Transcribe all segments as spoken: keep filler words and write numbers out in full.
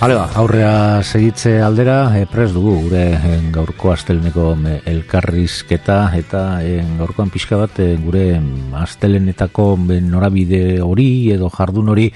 Hale ba, aurrea segitze aldera, e, prest dugu gure en, gaurko asteleneko elkarrizketa eta en, gaurkoan pixka bat e, gure astelenetako norabide hori edo jardun hori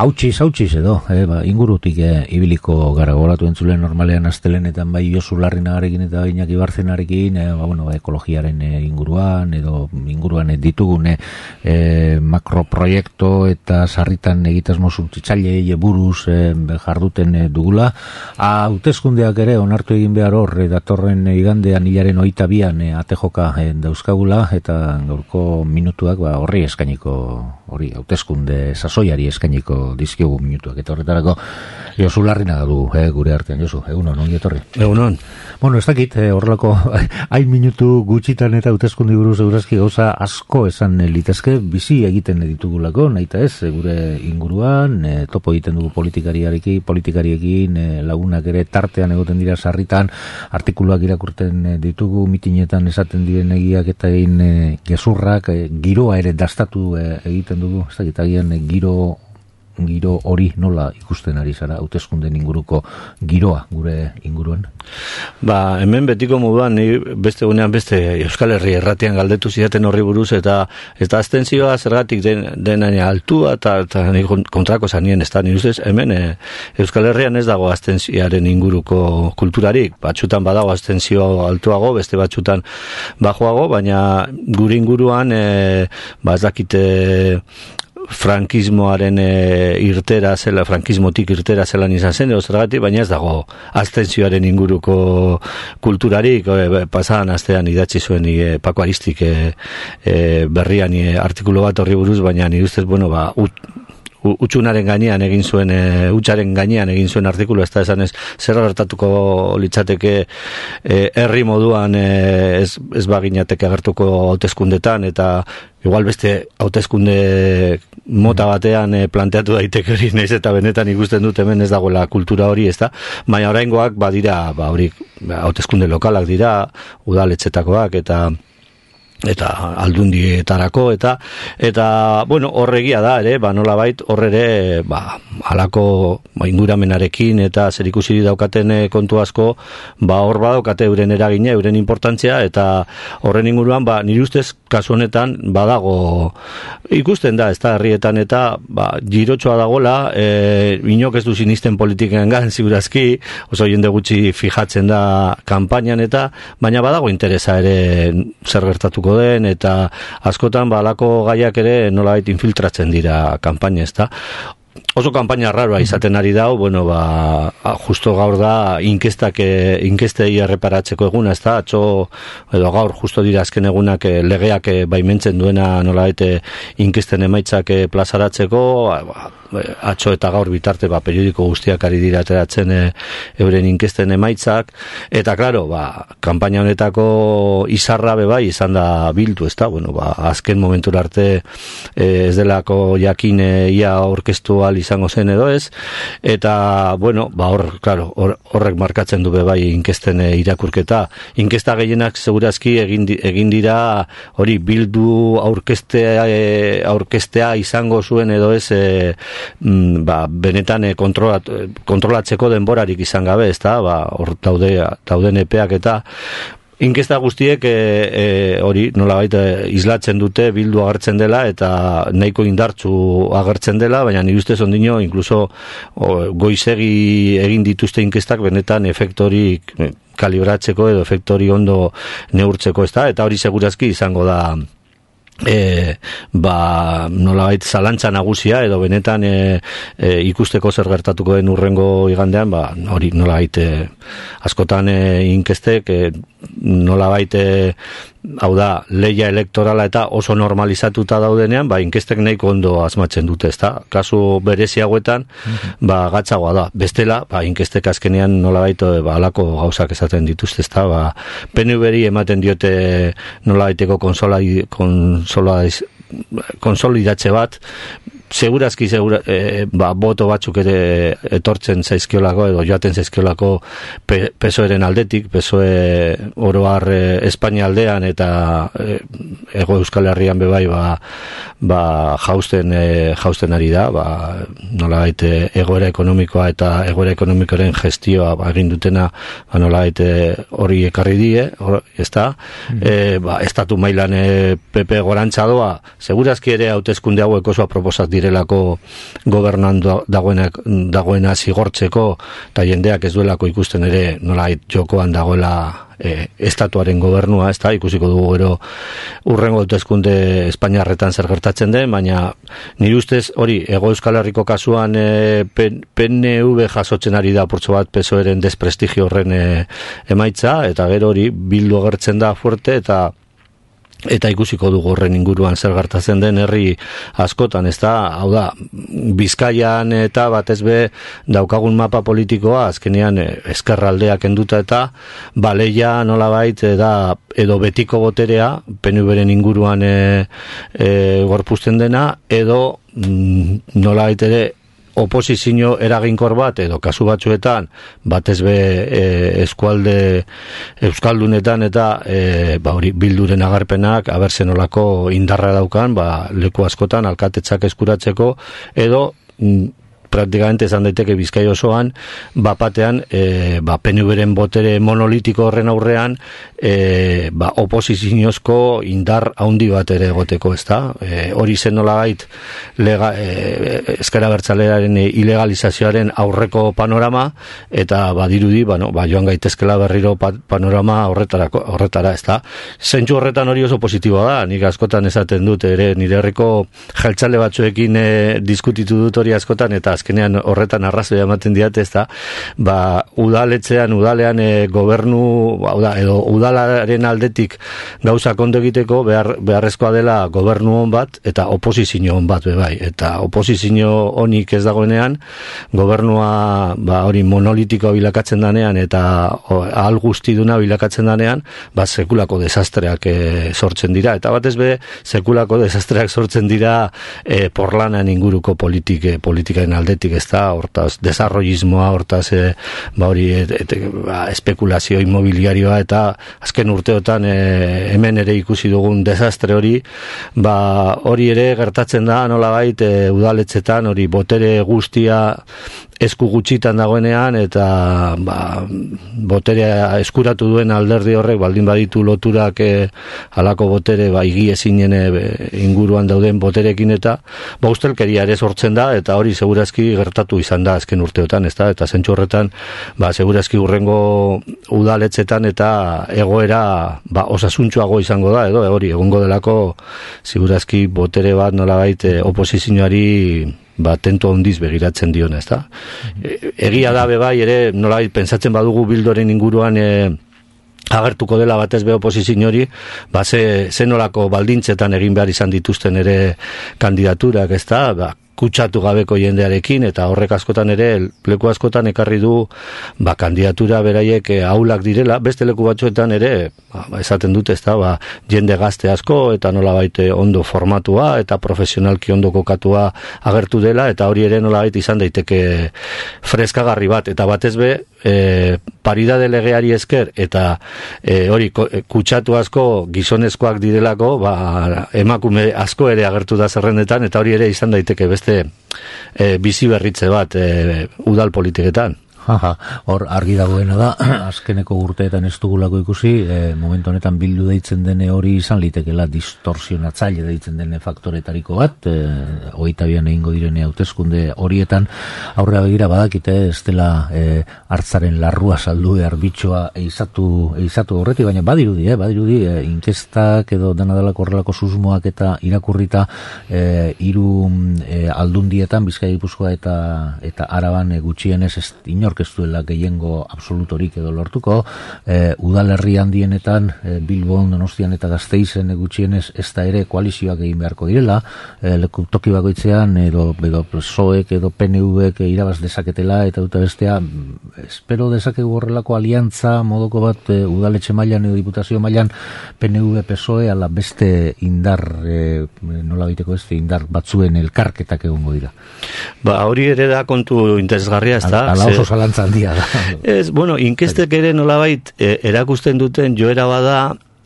hautsiz, hautsiz edo, e, ba, ingurutik e, ibiliko gara goratu entzulen normalean astelenetan bai Josu Larrinarekin eta Iñaki Barzenarekin, e, ba, bueno, ekologiaren e, inguruan edo inguruan e, ditugune e, makroproiektu eta sarritan egitasmo suntzitzailei buruz e, jarduten dugula. Hauteskundeak ere onartu egin behar hor datorren igandean hilaren hogeita bian atejoka dauzkagula eta gaurko minutuak ba, horri eskainiko hori hauteskunde sasoiari eskainiko dizkiogu minutuak eta horretarako Josu Larrinaga du eh, gure artean. Josu, egunon, ongi etorri. Egunon. Bueno, ez dakit, eh, horrelako hain minutu gutxitan eta hauteskunde buruz eurazki gauza asko esan litezke bizi egiten ditugulako, nahita ez, gure inguruan, eh, topo egiten dugu politikariarekin, politikariekin, eh, lagunak ere tartean egoten dira sarritan, artikuluak irakurten ditugu, mitinetan esaten diren egiak eta egin eh, gezurrak, eh, giroa ere dastatu eh, egiten dugu, ez dakit, agian eh, giro giro hori nola ikusten ari zara hauteskunden inguruko giroa gure inguruan? Ba, hemen betiko moduan ni beste gunean beste Euskal Herri erratian galdetu zidaten horri buruz eta eta abstentzioa zergatik den denaina altua eta, eta kontrako zanien ez da, ni ustez hemen e, Euskal Herrian ez dago abstentzioaren inguruko kulturarik, batxutan badago abstentzio altuago, beste batxutan bajoago, baina gure inguruan e, ba ez dakite frankismoaren e, irtera zela, frankismotik irtera zelan izan zen, edo zergatik, baina ez dago abstentzioaren inguruko kulturarik, e, pasadan astean idatzi zuen e, Pako Aristik e, e, berrian e, artikulu bat horri buruz, baina ni ustez, bueno, ba, ut, utxunaren gainean egin zuen, e, utxaren gainean egin zuen artikulu, ez da esan ez, zer gertatuko litzateke e, herri moduan e, ez, ez baginateke agertuko hauteskundetan, eta igual beste hauteskunde mota batean e, planteatu daiteke hori, naiz eta benetan ikusten dut hemen ez dagoela kultura hori, ez da, baina oraingoak badira, ba hori hauteskunde lokalak dira, udaletxetakoak eta eta aldundietarako eta eta bueno, horregia da ere, ba nolabait hor ere ba halako ba, inguramenarekin eta zerikusi daukaten kontu asko, ba hor badaukate euren eragina, euren importantzia eta horren inguruan ba nire ustez kasu honetan badago ikusten da, ezta herrietan eta ba girotxoa dagola, e, inok ez du sinisten politikengan segurazki, oso jende gutxi fijatzen da kanpainan eta baina badago interesa ere zer gertatuko den eta askotan balako gaiak ere nolabait infiltratzen dira kanpaina, ezta. Oso kanpaina raroa izaten ari dau, bueno, ba, justo gaur da inkestak, inkestei erreparatzeko eguna, ezta, atzo, edo gaur justo dira azken egunak legeak baimentzen duena nolabait inkesten emaitzak plazaratzeko, atzo eta gaur bitarte, ba, periodiko guztiak ari dira ateratzen e, euren inkesten emaitzak, eta klaro, ba, kanpaina honetako izarra bebai izan da bildu, ezta, bueno, ba, azken momentura arte e, ez delako jakin e, ia orkestu izango zen edo ez, eta bueno, ba hor, claro, hor, horrek markatzen du bebai inkesten e, irakurketa. Inkesta gehienak segurazki egin, egin dira hori bildu aurkestea, e, aurkestea izango zuen edo ez e, m, ba, benetan e, kontrolat, kontrolatzeko denborarik izan gabe, ezta, ba hor daude, dauden epeak eta inkesta guztiek e, e, hori nolabait e, islatzen dute bildu agertzen dela eta nahiko indartzu agertzen dela, baina nire ustez ondino inkluso o, goizegi egin dituzte inkestak benetan efektorik kalibratzeko edo efektori ondo neurtzeko, ez da, eta hori segurazki izango da E, ba, nolabait zalantza nagusia edo benetan e, e, ikusteko zer gertatuko den urrengo igandean, ba, hori nolabait e, askotan e, inkestek e, nolabait e, hau da, leia elektorala eta oso normalizatuta daudenean, ba, inkestek nahiko ondo asmatzen dute, ezta? Kasu berezi hauetan, ba, gatzagoa da. Bestela, ba, inkestek azkenean nolabait ba, alako gauzak esaten dituzte, ezta? Ba, P N V-ri ematen diote nolabaiteko konsola, konsola, konsolidatze bat, segurazki segura, e, ba, boto batzuk ere etortzen zaizkiolako edo joaten zaizkiolako pe, pesoeren aldetik, pesoe oroar e, Espainia aldean eta e, ego Euskal Herrian bebai ba, ba jausten, e, jausten ari da, ba, nolabait egoera ekonomikoa eta egoera ekonomikoaren gestioa ba, egin dutena ba, nolabait hori ekarri die, hor, ez da, mm. e, ba, estatu mailan e, P P gorantza doa, segurazki ere hauteskunde hauek oso proposat direlako gobernan dagoena, dagoena zigortzeko eta jendeak ez duelako ikusten ere nolait jokoan dagoela e, estatuaren gobernua, ez da, ikusiko dugu gero urrengo hauteskunde Espainiarretan zer gertatzen den, baina nire ustez hori Hego Euskal Herriko kasuan e, P N V jasotzen ari da portzo bat P S O Eren desprestigio horren e, emaitza, eta gero hori Bildu agertzen da fuerte eta eta ikusiko dugu horren inguruan zer gertatzen den herri askotan, ez da, hau da, Bizkaian eta batez be daukagun mapa politikoa, azkenean ezkerraldea kenduta eta baleia nolabait da edo betiko boterea, P N V-ren inguruan e, e, gorpuzten dena, edo mm, nolabait ere oposizio eraginkor bat, edo kasu batzuetan, batez be e, eskualde euskaldunetan eta e, ba, hori, Bilduren agarpenak abertzen olako indarra daukan, ba, leku askotan alkatetzak eskuratzeko, edo mm, praktikamente esan daiteke Bizkai osoan, bapatean e, ba, P N V-ren botere monolitiko horren aurrean e, ba, oposiziozko indar haundi bat ere egoteko, ez da? E, hori zen nolabait lega, e, ezkera bertzalearen ilegalizazioaren aurreko panorama, eta badirudi, bueno, ba, joan gaitezkela berriro panorama horretarako, horretara, ez da? Zentzu horretan hori oso positiboa da, nik askotan esaten dut, ere nire herriko jeltzale batzuekin e, diskutitu dut hori askotan, eta azkenean horretan arrazoia ematen diate, ez da, ba, udaletzean, udalean e, gobernu, ba, edo udalaren aldetik gauzak ondo egiteko behar, beharrezkoa dela gobernu hon bat eta oposizio hon bat bebai, eta oposizio honik ez dagoenean, gobernua ba, hori monolitiko bilakatzen danean eta o, ahal guztiduna bilakatzen danean, ba, sekulako desastreak e, sortzen dira, eta batez be, sekulako desastreak sortzen dira e, porlanan inguruko politik, e, politikaren alde aldetik, ez da, hortaz, desarrollismoa, hortaz, e, ba hori, et, et, ba, espekulazio inmobiliarioa, eta azken urteotan e, hemen ere ikusi dugun desastre hori, ba hori ere gertatzen da, nolabait, e, udaletzetan, hori botere guztia esku gutxitan dagoenean, eta ba, boterea eskuratu duen alderdi horrek, baldin baditu loturak e, halako botere, ba, igi ezinen e, inguruan dauden boterekin, eta ba, ustelkeria ere sortzen da, eta hori segurazki gertatu izan da azken urteotan, ez da, eta zentzu horretan, ba, segurazki urrengo udaletzetan eta egoera, ba, osasuntxoago izango da, edo, hori, egongo delako, segurazki botere bat nolabait e, oposizioari ba, tentu handiz begiratzen diona, ez da. E, egia da bebai ere, nolabait, pentsatzen badugu Bildoren inguruan e, agertuko dela batez be oposiziori, ba, ze, ze nolako baldintzetan egin behar izan dituzten ere kandidaturak, ez da, ba, kutsatu gabeko jendearekin, eta horrek askotan ere, leku askotan ekarri du, ba, kandidatura beraiek aulak direla, beste leku batzuetan ere, ba, esaten dute, ez da, ba, jende gazte asko, eta nolabait ondo formatua, eta profesionalki ondo kokatua agertu dela, eta hori ere nolabait izan daiteke freskagarri bat, eta batez be, e, paridade legeari esker, eta e, hori kutsatu asko gizonezkoak direlako, ba, emakume asko ere agertu da zerrendetan, eta hori ere izan daiteke beste e, bizi berritze bat e, udal politiketan. Aha, hor argi dagoena da, azkeneko urteetan ez dugulako ikusi, e, momentu honetan Bildu deitzen dene hori izan litekela distorsionatzaile deitzen dene faktoretariko bat, e, hogeita bian egingo direne hauteskunde horietan aurrera begira badakite ez dela e, hartzaren larrua saldu behar bitxoa eizatu, eizatu horretik, baina badirudi, eh, badirudi e, inkestak edo dena delako horrelako susmoak eta irakurrita e, hiru e, aldundietan, Bizkaia, Gipuzkoa eta, eta Araban e, gutxienez ez inork ez duela gehiengo absolutorik edo lortuko, e, udalerri handienetan, e, Bilbon, Donostian eta Gasteizen gutxienez ez da ere koalizioak egin beharko direla, e, leku toki bakoitzean edo, edo P S O E edo P N V-ek irabaz dezaketela eta dut bestea, espero dezakegu horrelako aliantza modoko bat e, udaletxe mailan edo diputazio mailan P N V P S O E ala beste indar e, nola baiteko beste indar batzuen elkarketak egongo dira. Ba, hori ere da kontu interesgarria, ez da? Ala oso zalantza handia da. Ez, bueno, inkestek ere nolabait e, erakusten duten joera bada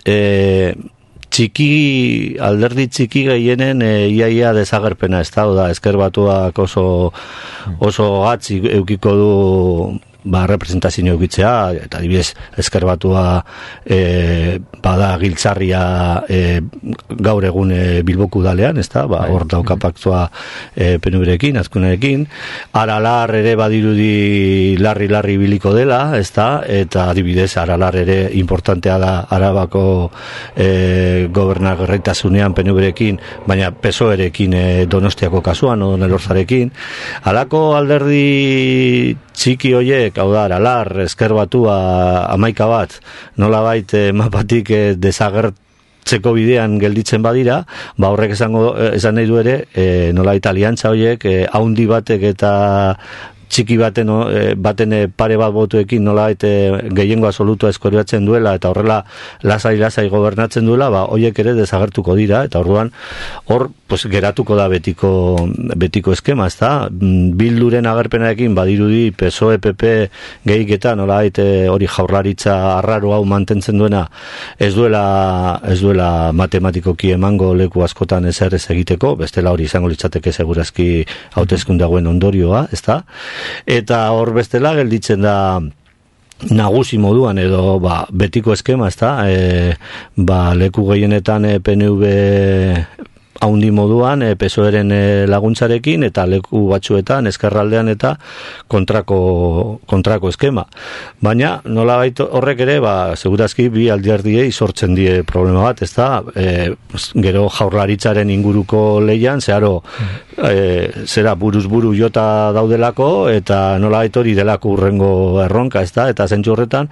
e, txiki, alderdi txiki gehienen e, iaia desagerpena, ez da? Oda, Ezker Batuak oso, oso gatz eukiko du ba, representazio eukitzea, eta adibidez Ezker Batua e, bada giltzarria e, gaur egun e, Bilboku dalean, ez da, ba, hor dauka paktua e, P N V-rekin, azkunarekin, Aralar ere badirudi larri-larri biliko dela, ez da, eta adibidez Aralar ere importantea da Arabako e, gobernagarritasunean P N V-rekin, baina P S O E-rekin e, Donostiako kasuan, Odon Elorzarekin, halako alderdi txiki hoiek, hau da, Aralar, Ezker Batua, amaika bat, nolabait eh, mapatik eh, desagertzeko bidean gelditzen badira, ba horrek esango, esan nahi du ere, eh, nolabait aliantza hoiek, eh, haundi batek eta txiki baten, baten pare bat botuekin nolabait gehiengo absolutua eskoriatzen duela eta horrela lasai-lasai gobernatzen duela, ba, hoiek ere desagertuko dira, eta orduan hor pues, geratuko da betiko, betiko eskema, ez da? Bilduren agerpenarekin badirudi P S O E P P gehiketan nolabait hori jaurlaritza arraro hau mantentzen duena ez duela, ez duela matematikoki emango leku askotan ezer ez egiteko, bestela hori izango litzateke segurazki hauteskunde hauen ondorioa, ez da? Eta hor bestela gelditzen da nagusi moduan edo ba, betiko eskema, ez da? E, ba, leku gehienetan e, P N V haundi moduan e, P S O E-ren e, laguntzarekin eta leku batzuetan ezkerraldean eta kontrako, kontrako eskema. Baina nolabait horrek ere ba, segurazki bi alderdiei sortzen die problema bat, ez da? E, gero jaurlaritzaren inguruko leian, zeharo e, zera buruz buru jota daudelako eta nolabait hori delako urrengo erronka, ez da? Eta zentzu horretan,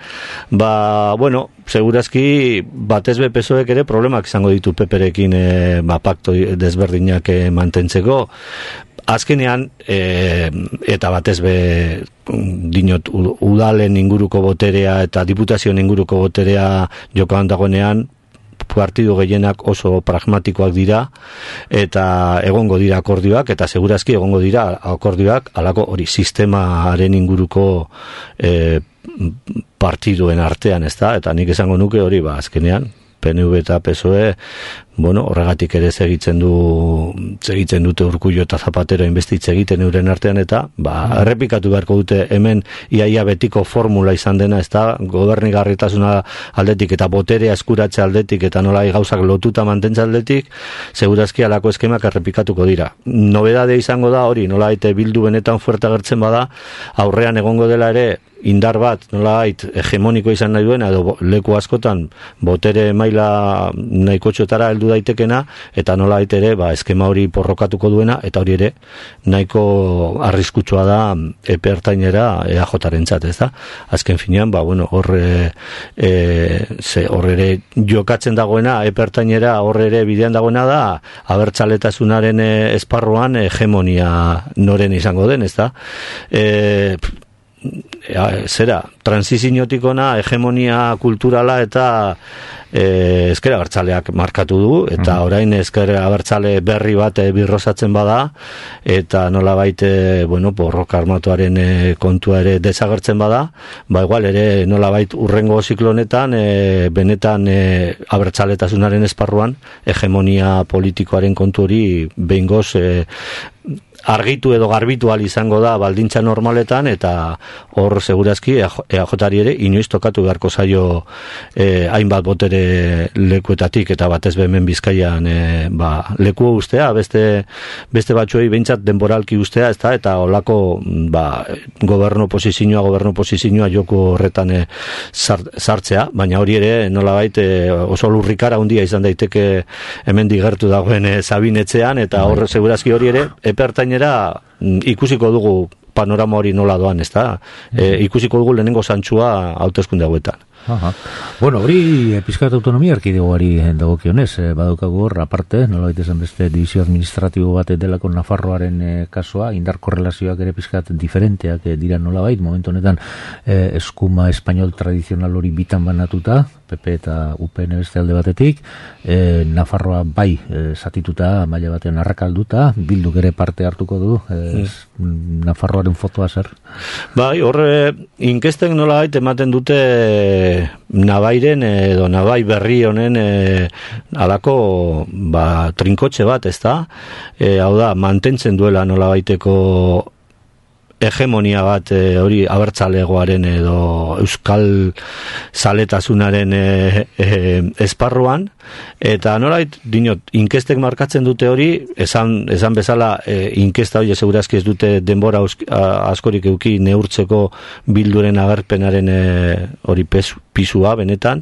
ba, bueno, segurazki batez be P S O E-ek ere problemak izango ditu P P-rekin e, ba, pakto desberdinak e, mantentzeko. Azkenean, e, eta batez be dinot udalen inguruko boterea eta diputazioen inguruko boterea jokoan dagoenean, partidu gehienak oso pragmatikoak dira eta egongo dira akordioak eta segurazki egongo dira akordioak alako hori sistemaren inguruko e, partiduen artean, ez da? Eta nik esango nuke hori, ba, azkenean P N V eta P S O E, bueno, horregatik ere segitzen du segitzen dute Urkullu eta Zapatero inbestitze egiten euren artean eta ba, errepikatu beharko dute hemen iaia betiko formula izan dena, ez da, gobernigarritasuna aldetik eta boterea eskuratze aldetik eta nolai gauzak lotuta mantentza aldetik, segurazki alako eskemak errepikatuko dira. Nobedade izango da hori, nolait Bildu benetan fuerte agertzen bada, aurrean egongo dela ere indar bat, nolait hegemoniko izan nahi duena, edo leku askotan botere maila nahiko txotara heldu daitekena, eta nolait ere, ba, eskema hori porrokatuko duena, eta hori ere nahiko arriskutsua da epe ertainera E A J-rentzat, ez da? Azken finean, ba, bueno, horre e, ze, horre ere jokatzen dagoena, epe ertainera horre ere bidean dagoena da, abertzaletasunaren esparruan hegemonia noren izango den, ez da? E, zera, transiziotikona hegemonia kulturala eta e, ezker abertzaleak markatu du, eta uh-huh. orain ezker abertzale berri bat e, birrosatzen bada, eta nolabait e, bueno, borroka armatuaren e, kontua ere desagertzen bada, ba igual ere nolabait urrengo ziklonetan e, benetan e, abertzaletasunaren esparruan hegemonia politikoaren kontu hori behingoz e, argitu edo garbitu al izango da baldintza normaletan, eta hor segurazki E A J-ari ere inoiz tokatu beharko zaio eh, hainbat botere lekuetatik eta batez hemen Bizkaian eh, ba, leku ustea, beste beste batzuei behintzat denboralki ustea, ez da, eta holako ba, gobernu posizioa, gobernu posizioa joko horretan eh, sartzea, baina hori ere nolabait eh, oso lurrikara handia izan daiteke hemen digertu dagoen eh, Sabinetzean, eta hor segurazki hori ere epertain ikusiko dugu panorama hori nola doan, ez da? E, ikusiko dugu lehenengo zantzua hauteskunde hauetan. Aha. Bueno, hori pizkat autonomia erkidegoari dagokionez, eh, badaukagu hor, aparte, nolabait esan beste divizio administratibo bat delako Nafarroaren eh, kasua, indar korrelazioak ere pizkat diferenteak eh, dira nolabait, momentu honetan eh, eskuma espainol tradizional hori bitan banatuta, P P eta U P N beste alde batetik, eh, Nafarroa bai eh, zatituta, maila batean arrakalduta, Bilduk ere parte hartuko du, eh, mm. Nafarroaren fotoa zer? Bai, horre, inkesten nolabait ematen dute Nabairen edo Nabai berri honen e, alako ba, trinkotxe bat, ez da? E, hau da, mantentzen duela nolabaiteko hegemonia bat e, hori abertzalegoaren edo euskal zaletasunaren e, e, esparruan, eta nolait, dinot, inkestek markatzen dute hori, esan, esan bezala e, inkesta hori segurazki ez dute denbora usk, a, askorik euki neurtzeko Bilduren agerpenaren e, hori pesu, pisua benetan,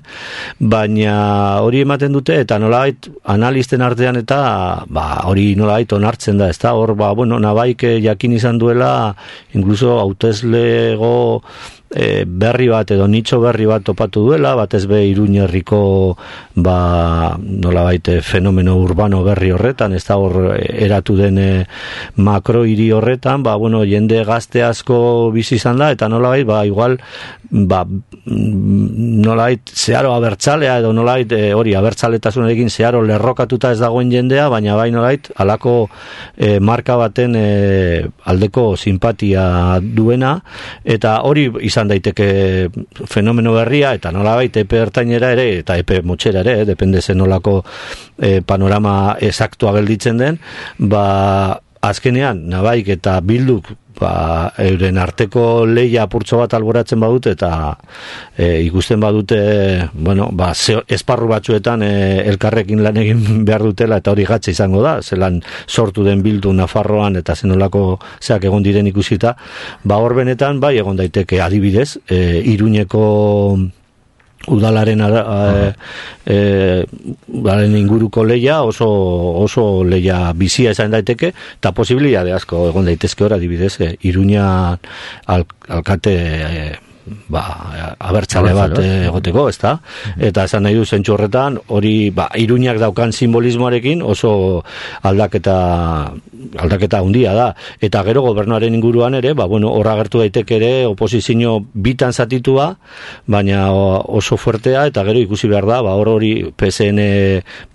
baina hori ematen dute, eta nolait analisten artean eta ba, hori nolait onartzen da, ez da, hor, ba, bueno, Nabaik jakin izan duela, incluso hauteslego e, berri bat edo nitxo berri bat topatu duela, batez be Iruñerriko ba, nolabait fenomeno urbano berri horretan, ez da hor eratu den e, makro hiri horretan, ba, bueno, jende gazte asko bizi izan da, eta nolabait, ba, igual, ba, nolabait zeharo abertzalea edo nolabait e, hori abertzaletasunarekin zeharo lerrokatuta ez dagoen jendea, baina bai nolabait alako e, marka baten e, aldeko simpatia duena, eta hori izan daiteke fenomeno berria, eta nolabait epe ertainera ere, eta epe motxera ere, eh, depende zen nolako eh, panorama esaktua gelditzen den, ba, azkenean, Nabaik eta Bilduk ba, euren arteko leia apurtzo bat alboratzen badute, eta e, ikusten badute, bueno, ba, ze, esparru batzuetan e, elkarrekin lan egin behar dutela, eta hori gatza izango da, zelan sortu den Bildu Nafarroan, eta zenolako zeak egon diren ikusita, ba, hor benetan, bai, egon daiteke adibidez, e, Iruñeko udalaren ara, e, e, udalaren inguruko leia oso, oso leia bizia izan daiteke, eta posibilitate asko egon daitezke hor adibidez, e, Iruña al, alkate e, ba, abertzale bat egoteko, ez da? Eta esan nahi du zentsu horretan, hori ba, Iruñak daukan simbolismoarekin oso aldaketa aldaketa handia da, eta gero gobernuaren inguruan ere, ba, bueno, horra agertu daiteke ere oposizio bitan zatitua, baina oso fuertea, eta gero ikusi behar da, ba, hor hori P S N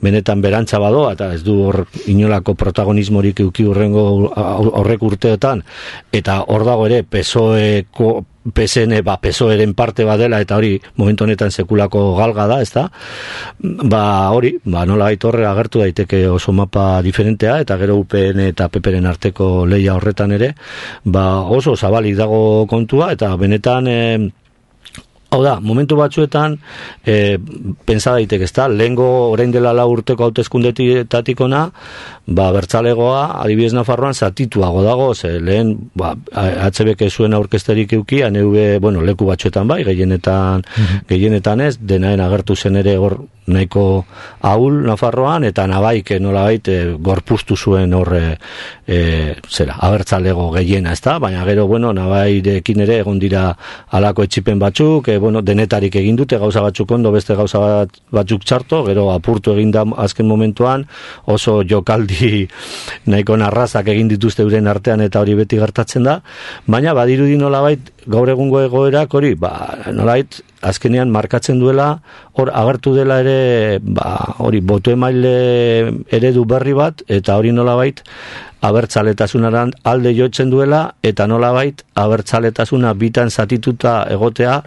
benetan berantza badoa, eta ez du hor inolako protagonismorik euki urrengo horrek urteetan, eta hor dago ere P S O E-ko P S N, ba, P S O E-ren parte badela, eta hori momentu honetan sekulako galga da, ez da? Ba, hori, ba, nola aitorre agertu daiteke oso mapa diferentea, eta gero U P N eta P P-ren arteko leia horretan ere, ba, oso zabalik dago kontua, eta benetan, e, hau da, momentu batzuetan, e, pensa daiteke, ez da, lehengo orain dela lau urteko hauteskundetatik ona, ba, bertzalegoa, adibidez Nafarroan, zatituago dago, ze lehen, ba, H B K zuen aurkesterik euki, A N V, bueno, leku batzuetan bai, gehienetan, mm-hmm. gehienetan ez, denaen agertu zen ere hor nahiko ahul Nafarroan, eta Nabaik nolabait e, gorpuztu zuen horre e, zera, abertzalego gehiena, ez da, baina gero, bueno, Nabairekin ere egon dira alako etxipen batzuk, e, bueno, denetarik egin dute, gauza batzuk ondo, beste gauza bat, batzuk txarto, gero apurtu egin da azken momentuan, oso jokaldi nahiko narrazak egin dituzte euren artean, eta hori beti gertatzen da, baina badirudi nolabait gaur egungo egoerak hori, ba, nolabait azkenean markatzen duela, hor agertu dela ere, ba, hori boto emaile eredu berri bat, eta hori nolabait abertzaletasunaren alde jotzen duela, eta nolabait abertzaletasuna bitan zatituta egotea,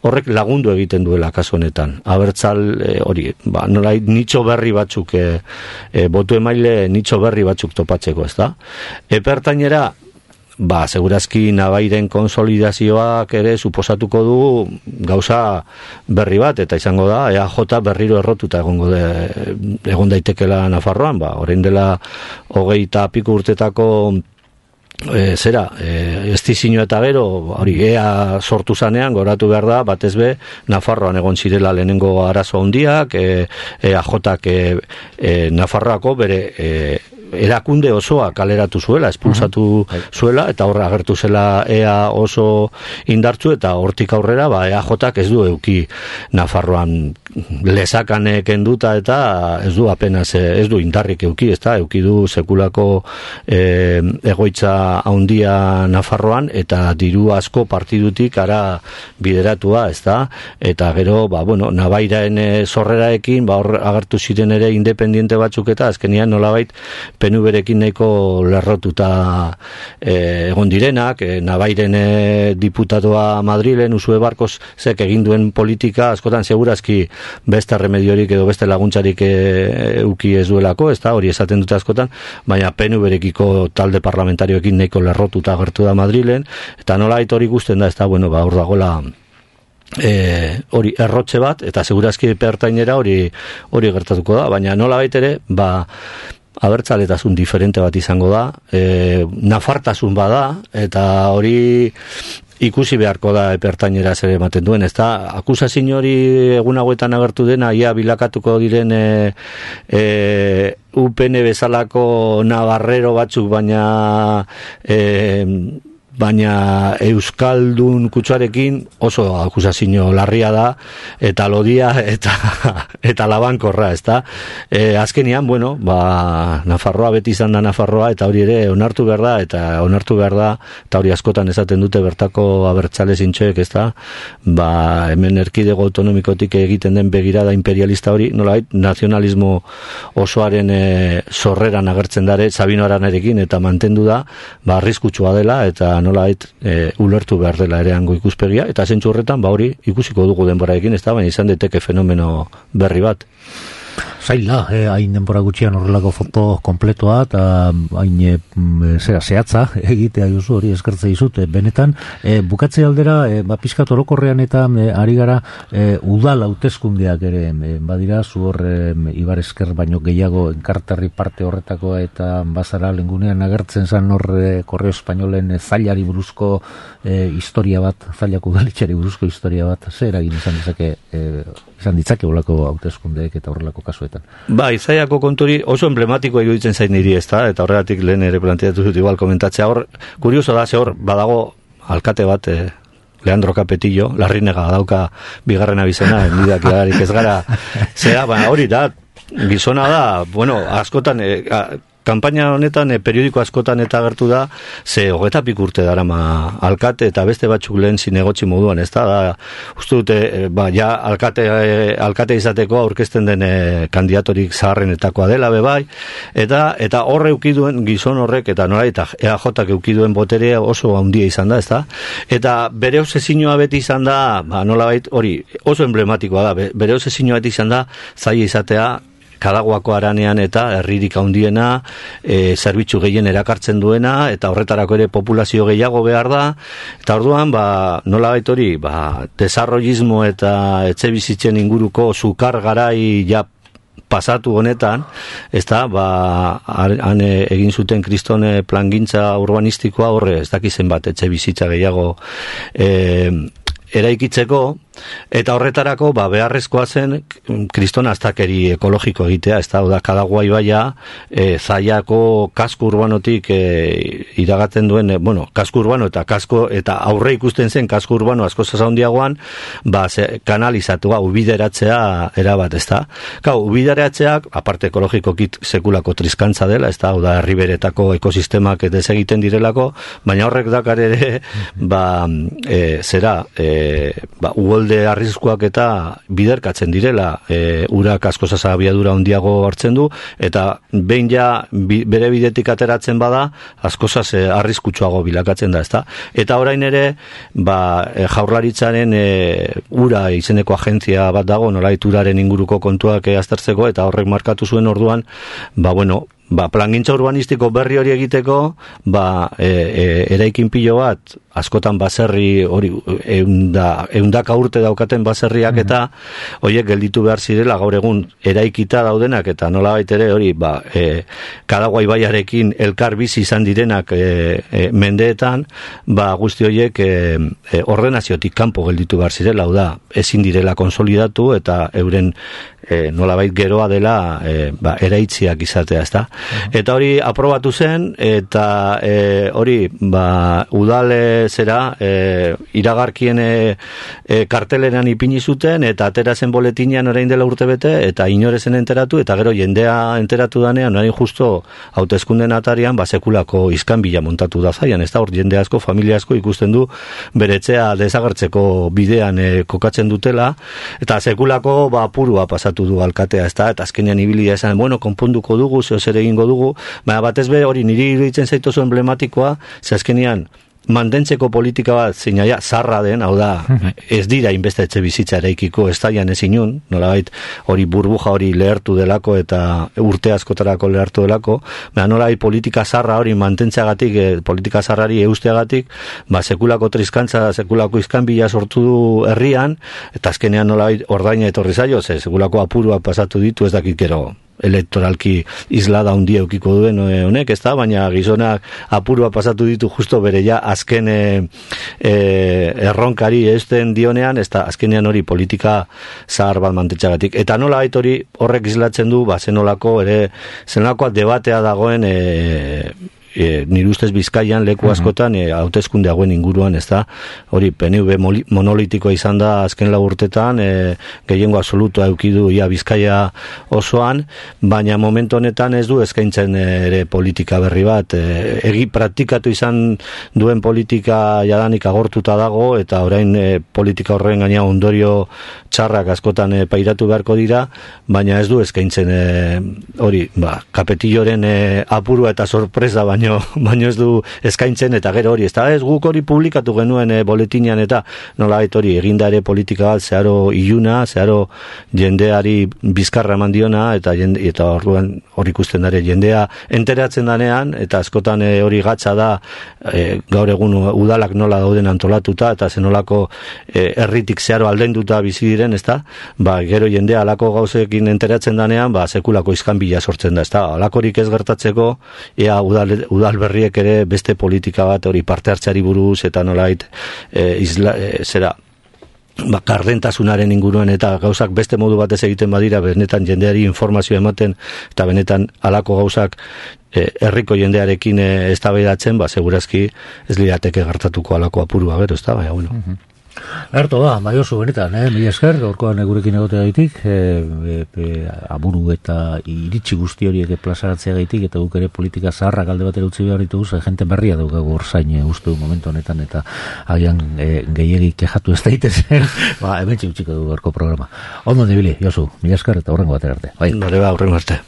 horrek lagundu egiten duela kasu honetan. Abertzal e, hori, ba, nolabait nitxo berri batzuk, e, e, boto emaile nitxo berri batzuk topatzeko, ez da? Epertainera, ba, segurazki Nabairen konsolidazioak ere suposatuko du gauza berri bat, eta izango da, E A J berriro errotuta egongo de, egon daitekela Nafarroan, ba, orain dela hogeita piko urtetako E, zera, e, estizino eta gero, hori, ea sortu zanean, goratu behar da, batez be, Nafarroan egon zirela lehenengo arazo handiak, e, E A Jak e, e, Nafarroako bere e, erakunde osoa kaleratu zuela, espulsatu uh-huh. zuela, eta horra agertu zela E A oso indartzu, eta hortik aurrera, ba, E A Jok ez du euki Nafarroan lesakanek enduta, eta ez du apenas, ez du indarrik euki, ez da, euki du sekulako e, egoitza haundia Nafarroan, eta diru asko partidutik ara bideratua, ez da, eta gero, ba, bueno, Nabairaen zorreraekin, ba, hor agertu ziren ere independiente batzuk, eta azkenian nolabait P N V-rekin nahiko lerrotuta e, egon direnak, e, Nabairen e, diputatua Madrilen, Usue Barkos zek egin duen politika, askotan segurazki beste remediorik edo beste laguntzarik e, uki ez duelako, ez da, hori esaten dute askotan, baina P N V-rekiko talde parlamentarioekin nahiko lerrotuta agertu da Madrilen, eta nolabait hori ikusten da, ez da, bueno, ba, hor dagoela E, hori errotxe bat, eta segurazki pertainera hori hori gertatuko da, baina nola baitere, ba, abertzaletasun diferente bat izango da, e, nafartasun bada, eta hori ikusi beharko da epertainera zer ematen duen, ez da, akusazio hori egun hauetan agertu dena, ia bilakatuko diren e, e, U P N bezalako nabarrero batzuk, baina e, baina Euskaldun kutsuarekin oso akusazio larria da, eta lodia eta eta labankorra, ez da. E, azkenian, bueno, ba, Nafarroa beti izan da Nafarroa, eta hori ere onartu behar da, eta onartu behar da, eta hori askotan esaten dute bertako abertzale zintxoek, ez da, ba, hemen erkidego autonomikotik egiten den begirada imperialista hori, nolabait, nazionalismo osoaren e, sorreran agertzen dare, Sabino Aranarekin, eta mantendu da, ba, arriskutsua dela, eta nolait e, ulertu behar dela ere hango ikuspegia, eta zentzu horretan, ba hori ikusiko dugu denborarekin, ez da, baina izan daiteke fenomeno berri bat. Zaila, eh, hain denbora gutxian horrelako foto kompletoa, eta hain e, zera, zehatza egitea juzu hori eskertze dizut, e, benetan, e, bukatze aldera, e, ba, pizkat orokorrean eta e, ari gara e, udal hauteskundeak ere, e, badira, zu hor e, Ibar Esker baino gehiago enkarterri parte horretako, eta bazara lengunean agertzen zan hor e, Korreo Espainolen e, zailari buruzko e, historia bat, zailako udalitxari buruzko historia bat, zer eragin izan ditzake, e, izan ditzake olako hauteskundeek eta horrelako kasuetan. Ba, Izaiako konturi oso emblematikoa iruditzen zain niri, ez da, eta horregatik lehen ere planteatu dut igual komentatzea hor, kurioso da, ze hor, badago alkate bat, eh, Leandro Capetillo, Larrinega dauka bigarren abizena, nidak ez gara, zera, baina hori da, gizona da, bueno, askotan, eh, a, kanpaina honetan, e, periodiko askotan eta agertu da, ze hogeta pikurte darama alkate, eta beste batzuk lehen zinegotzi moduan, ez da, da uste dute, e, ba, ja, alkate, e, alkate izateko aurkezten den e, kandidatorik zaharrenetakoa dela, bebai, eta eta horre eukiduen gizon horrek, eta nora, eta E A Jok eukiduen boterea oso handia izan da, ez da, eta bere obsesioa beti izan da, ba, nola bait, hori, oso emblematikoa da, bere obsesioa beti izan da, zaila izatea, Kadaguako aranean eta herririk handiena, e, zerbitzu gehien erakartzen duena, eta horretarako ere populazio gehiago behar da, eta orduan, ba, nola bait hori, ba, desarrollismo eta etxe bizitzen inguruko zukar garai ja pasatu honetan, ez da, ba, han egin zuten kristone plangintza urbanistikoa horre, ez dakizen bat etxe bizitza gehiago e, eraikitzeko, eta horretarako ba, beharrezkoa zen kriston astakeri ekologiko egitea, ez da, da Kadagua ibaia e, Zaiako kasko urbanotik e, iragatzen duen, e, bueno, kasko urbano eta kasko, eta aurre ikusten zen kasko urbano asko zazaundiagoan, ba, ze, kanalizatua, ubideratzea erabat, ez da. Kau, ubideratzeak, aparte ekologikokit sekulako triskantza dela, ez da, da, herriberetako ekosistemak ez egiten direlako, baina horrek dakar ere, ba, e, zera, e, ba, uolde arriskuak eta biderkatzen direla, e, urak asko abiadura handiago hartzen du, eta behin ja bi, bere bidetik ateratzen bada, asko e, arriskutsuago bilakatzen da, ezta? Eta orain ere, ba, e, Jaurlaritzaren e, ura izeneko agentzia bat dago, nolait uraren inguruko kontuak e, aztertzeko, eta horrek markatu zuen orduan, ba, bueno, ba, plangintza urbanistiko berri hori egiteko, ba, e, e, eraikin pilo bat, askotan baserri hori eunda, eundaka urte daukaten baserriak mm-hmm. eta horiek gelditu behar zirela gaur egun eraikita daudenak eta nolabait ere hori ba, e, Kadagua ibaiarekin elkar bizi izan direnak e, e, mendeetan ba, guzti horiek e, e, ordenaziotik kanpo gelditu behar zirela, hau da, ezin direla konsolidatu eta euren e, nolabait geroa dela e, ba, eraitziak izatea, ezta? Mm-hmm. Eta hori aprobatu zen eta e, hori ba, udale zera e, iragarkien e, e, karteleran ipini zuten eta atera zen boletinean orain dela urte bete eta inorezen enteratu eta gero jendea enteratu danean orain justo hauteskunden atarian ba, sekulako iskanbila montatu da zaian, ez da hor jende asko, familia asko ikusten du beretzea desagertzeko bidean e, kokatzen dutela eta sekulako ba, purua pasatu du alkatea, ez da, eta azkenean ibilia esan, bueno, konponduko dugu, zeo zer egingo dugu, baina batez be hori niri iruditzen zaitozu emblematikoa, ze azkenean mantentzeko politika bat zinaia zarra den, hau da, ez dira inbeste etxe bizitza eraikiko, ez daian ez inun, nolabait hori burbuja hori lehertu delako eta urte askotarako lehertu delako, baina nolabait politika zarra hori mantentzeagatik, eh, politika zarrari eusteagatik, ba, sekulako triskantza, sekulako iskanbila sortu du herrian, eta azkenean nolabait ordaina etorri zaio, ze sekulako apuruak pasatu ditu ez dakit gero elektoralki islada hundi eukiko duen honek, ez da, baina gizonak apurua pasatu ditu justo bere ja azken e, e, erronkari eusten dionean, ez da, azkenean hori politika zahar bat mantetxagatik. Eta nola bait hori horrek islatzen du, ba, zenolako ere, zenolakoa debatea dagoen e, E, nire ustez Bizkaian leku askotan e, hauteskunde hauen inguruan, ez da, hori P N V monolitikoa izan da azken lau urtetan, e, gehiengo absolutoa eukidu ia Bizkaia osoan, baina momentu honetan ez du eskaintzen ere politika berri bat, e, egi praktikatu izan duen politika jadanik agortuta dago, eta orain e, politika horren gaina ondorio txarrak askotan e, pairatu beharko dira, baina ez du eskaintzen e, hori, ba, kapetilloren e, apurua eta sorpresa baina Baino, baino ez du eskaintzen eta gero hori, ez da ez guk hori publikatu genuen e, boletinean eta nolabait hori eginda ere politika bat zeharo iluna, zeharo jendeari bizkarra eman diona eta, jende, eta orduan hori ikusten dare jendea enteratzen danean eta askotan e, hori gatza da e, gaur egun udalak nola dauden antolatuta eta zenolako e, herritik zeharo aldenduta bizi diren, ez da, ba, gero jendea alako gauzekin enteratzen danean, ba, sekulako iskanbila sortzen da, ez da, alakorik ez gertatzeko, ea udal udal berriek ere beste politika bat hori parte hartzeari buruz eta nolait e, isla, e, zera ba, gardentasunaren inguruan eta gauzak beste modu batez egiten badira benetan jendeari informazio ematen eta benetan halako gauzak e, herriko jendearekin e, eztabaidatzen, ba segurazki ez lirateke gertatuko halako apurua gero, ez da, baina bueno. Uh-huh. Erto da, bai oso benetan, eh? Mila esker, gaurkoan gurekin egotea gaitik, e, e, aburu eta iritsi guzti horiek plazaratzea gaitik, eta guk ere politika zaharrak alde batera utzi behar dituz, jente berria daukagu orzain uste momentu honetan, eta agian e, gehiagik kejatu ez daitezen, ba, hemen txiko dugu gaurko programa. Ondo nibili, Josu, mila esker eta horrengo batera arte. Bai, nore ba, horrengo arte.